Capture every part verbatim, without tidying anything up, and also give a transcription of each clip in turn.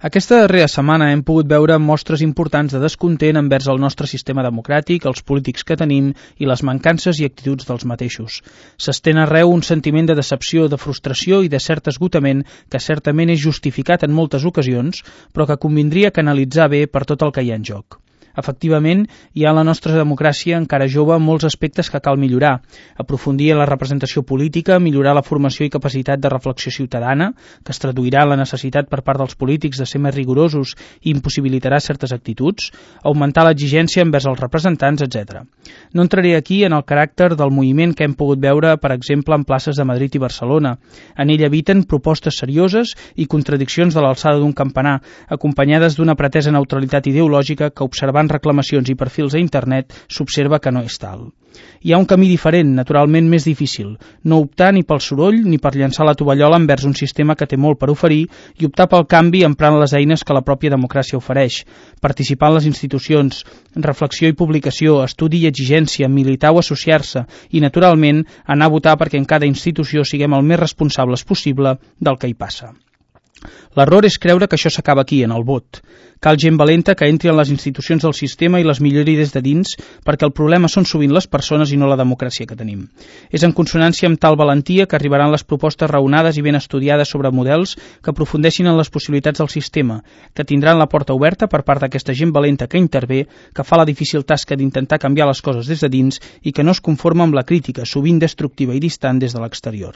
Aquesta darrera setmana hem pogut veure mostres importants de descontent envers el nostre sistema democràtic, els polítics que tenim i les mancances i actituds dels mateixos. S'estén arreu un sentiment de decepció, de frustració i de cert esgotament que certament és justificat en moltes ocasions, però que convindria canalitzar bé per tot el que hi ha en joc. Efectivament, hi ha a la nostra democràcia encara jove molts aspectes que cal millorar, aprofundir en la representació política, millorar la formació i capacitat de reflexió ciutadana, que es traduirà en la necessitat per part dels polítics de ser més rigorosos i impossibilitarà certes actituds, augmentar l'exigència envers els representants, etcètera. No entraré aquí en el caràcter del moviment que hem pogut veure, per exemple, en places de Madrid i Barcelona. En ell habiten propostes serioses i contradiccions de l'alçada d'un campanar, acompanyades d'una pretesa neutralitat ideològica que, observant reclamacions i perfils a internet, s'observa que no és tal. Hi ha un camí diferent, naturalment més difícil, no optar ni pel soroll ni per llançar la tovallola envers un sistema que té molt per oferir i optar pel canvi emprant les eines que la pròpia democràcia ofereix, participar en les institucions, reflexió i publicació, estudi i exigència, militar o associar-se i, naturalment, anar a votar perquè en cada institució siguem el més responsables possible del que hi passa. L'error és creure que això s'acaba aquí, en el vot. Cal gent valenta que entri en les institucions del sistema i les millori des de dins, perquè el problema són sovint les persones i no la democràcia que tenim. És en consonància amb tal valentia que arribaran les propostes raonades i ben estudiades sobre models que aprofundeixin en les possibilitats del sistema, que tindran la porta oberta per part d'aquesta gent valenta que intervé, que fa la difícil tasca d'intentar canviar les coses des de dins i que no es conforma amb la crítica, sovint destructiva i distant des de l'exterior.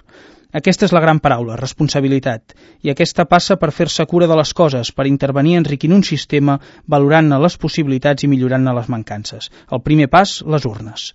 Aquesta és la gran paraula, responsabilitat, i aquesta passa per fer-se cura de les coses, per intervenir enriquint un sistema, valorant-ne les possibilitats i millorant-ne les mancances. El primer pas, les urnes.